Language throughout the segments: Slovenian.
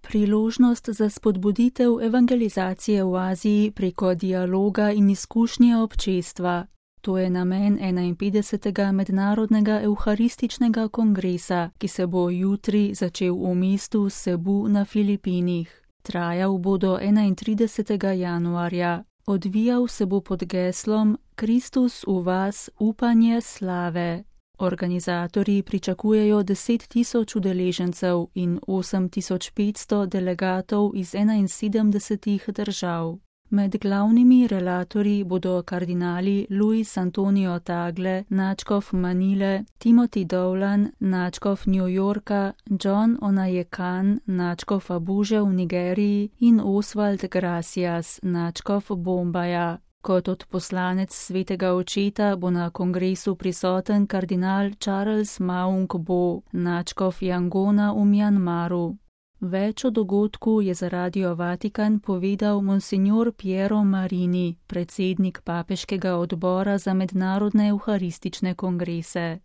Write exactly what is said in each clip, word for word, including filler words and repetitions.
Priložnost za spodbuditev evangelizacije v Aziji preko dialoga in izkušnje občestva. To je namen enainpetdesetega mednarodnega evharističnega kongresa, ki se bo jutri začel v mestu Cebu na Filipinih. Trajal bo do enaintridesetega januarja. Odvijal se bo pod geslom Kristus v vas, upanje slave. Organizatorji pričakujejo deset tisoč udeležencev in osem tisoč petsto delegatov iz enainsedemdesetih držav. Med glavnimi relatorji bodo kardinali Luis Antonio Tagle, nadškof Manile, Timothy Dowland, nadškof New Yorka, John Onayekan, nadškof Abuže v Nigeriji in Oswald Gracias, nadškof Bombaja. Kot odposlanec svetega očeta bo na kongresu prisoten kardinal Charles Maung Bo, nadškof Jangona v Mjanmaru. Več o dogodku je za Radio Vatikan povedal monsignor Piero Marini, predsednik papeškega odbora za mednarodne evharistične kongrese.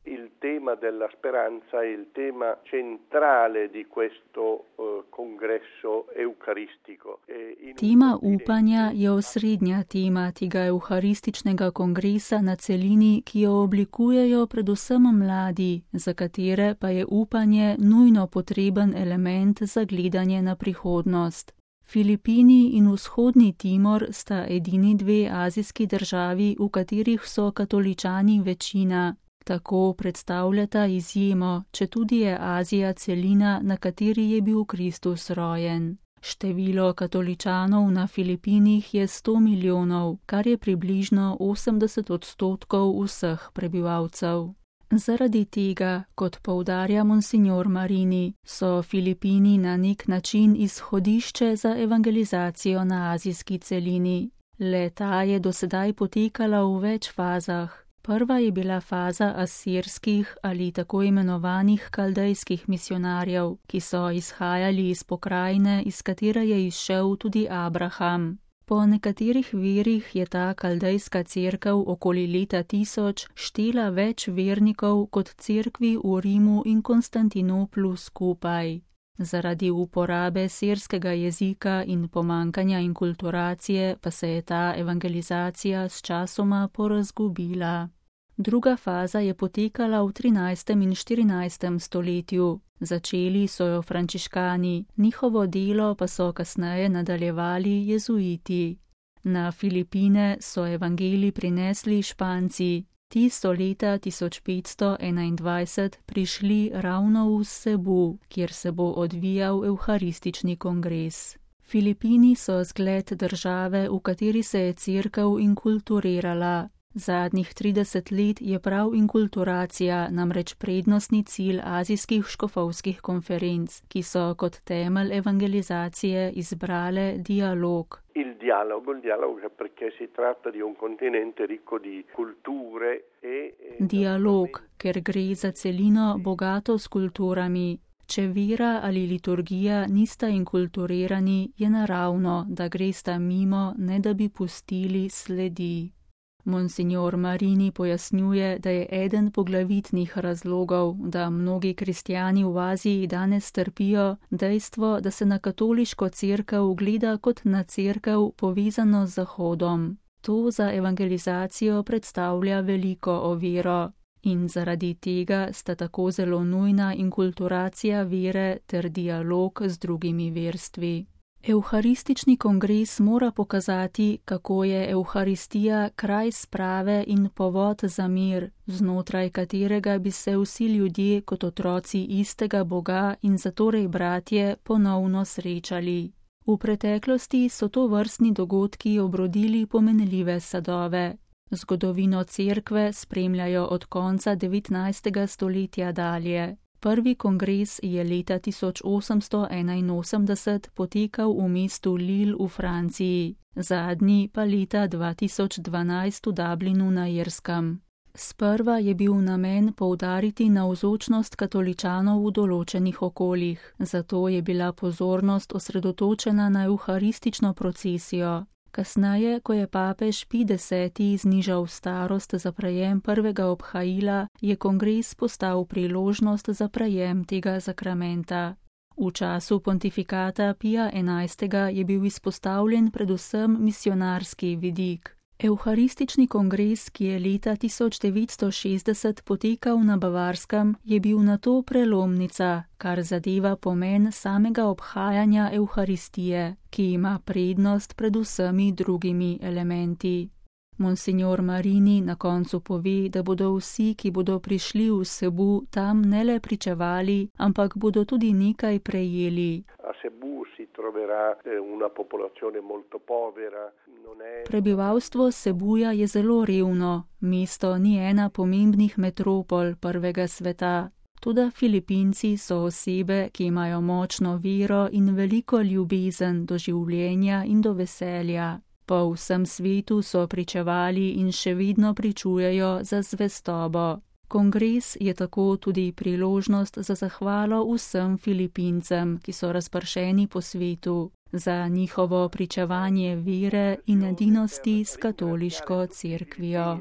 tema della speranza è il tema centrale di questo uh, congresso eucaristico. Tema upanja je osrednja tema tega euharističnega kongresa na celini, ki jo oblikujejo predvsem mladi, za katere pa je upanje nujno potreben element za gledanje na prihodnost. Filipini in Vzhodni Timor sta edini dve azijski državi, v katerih so katoličani večina. Tako predstavljata izjemo, četudi je Azija celina, na kateri je bil Kristus rojen. Število katoličanov na Filipinih je sto milijonov, kar je približno osemdeset odstotkov vseh prebivalcev. Zaradi tega, kot poudarja monsignor Marini, so Filipini na nek način izhodišče za evangelizacijo na azijski celini. Le ta je dosedaj potekala v več fazah. Prva je bila faza asirskih ali tako imenovanih kaldejskih misionarjev, ki so izhajali iz pokrajine, iz katere je izšel tudi Abraham. Po nekaterih virih je ta kaldejska cerkev okoli leta tisoč štela več vernikov kot cerkvi v Rimu in Konstantinoplu skupaj. Zaradi uporabe sirskega jezika in pomankanja inkulturacije pa se je ta evangelizacija s časoma porazgubila. Druga faza je potekala v trinajstem in štirinajstem stoletju. Začeli so jo frančiškani, njihovo delo pa so kasneje nadaljevali jezuiti. Na Filipine so evangelij prinesli Španci. Ti so leta tisoč petsto enaindvajset prišli ravno v Cebu, kjer se bo odvijal evharistični kongres. Filipini so zgled države, v kateri se je cerkev inkulturirala. Zadnjih trideset let je prav inkulturacija namreč prednostni cilj azijskih škofovskih konferenc, ki so kot temelj evangelizacije izbrale dialog. Il dialogo, il dialogo perché si tratta di un continente ricco di culture e Dialog, ker gre za celino bogato s kulturami. Če vera ali liturgija nista inkulturirani, je naravno, da gresta mimo, ne da bi pustili sledi. Monsignor Marini pojasnjuje, da je eden poglavitnih razlogov, da mnogi kristjani v Aziji danes trpijo, dejstvo, da se na katoliško cerkev gleda kot na cerkev povezano z Zahodom. To za evangelizacijo predstavlja veliko oviro in zaradi tega sta tako zelo nujna inkulturacija vere ter dialog z drugimi verstvi. Evharistični kongres mora pokazati, kako je evharistija kraj sprave in povod za mir, znotraj katerega bi se vsi ljudje kot otroci istega Boga in zatorej bratje ponovno srečali. V preteklosti so to vrstni dogodki obrodili pomenljive sadove. Zgodovino cerkve spremljajo od konca devetnajstega stoletja dalje. Prvi kongres je leta tisoč osemsto enainosemdeset potekal v mestu Lille v Franciji, zadnji pa leta dva tisoč dvanajst v Dublinu na Irskem. Sprva je bil namen poudariti navzočnost katoličanov v določenih okoljih, zato je bila pozornost osredotočena na evharistično procesijo. Kasneje, ko je papež Pij deseti znižal starost za prejem prvega obhajila, je kongres postal priložnost za prejem tega zakramenta. V času pontifikata Pija enajstega je bil izpostavljen predvsem misionarski vidik. Evharistični kongres, ki je leta tisoč devetsto šestdeset potekal na Bavarskem, je bil nato prelomnica, kar zadeva pomen samega obhajanja Evharistije, ki ima prednost pred vsemi drugimi elementi. Monsignor Marini na koncu pove, da bodo vsi, ki bodo prišli v Cebu, tam ne le pričevali, ampak bodo tudi nekaj prejeli. Prebivalstvo Cebuja je zelo revno, mesto ni ena pomembnih metropol prvega sveta. Toda Filipinci so osebe, ki imajo močno vero in veliko ljubezen do življenja in do veselja. Po vsem svetu so pričevali in še vedno pričujejo za zvestobo. Kongres je tako tudi priložnost za zahvalo vsem Filipincem, ki so razpršeni po svetu, za njihovo pričevanje vere in edinosti s katoliško cerkvijo.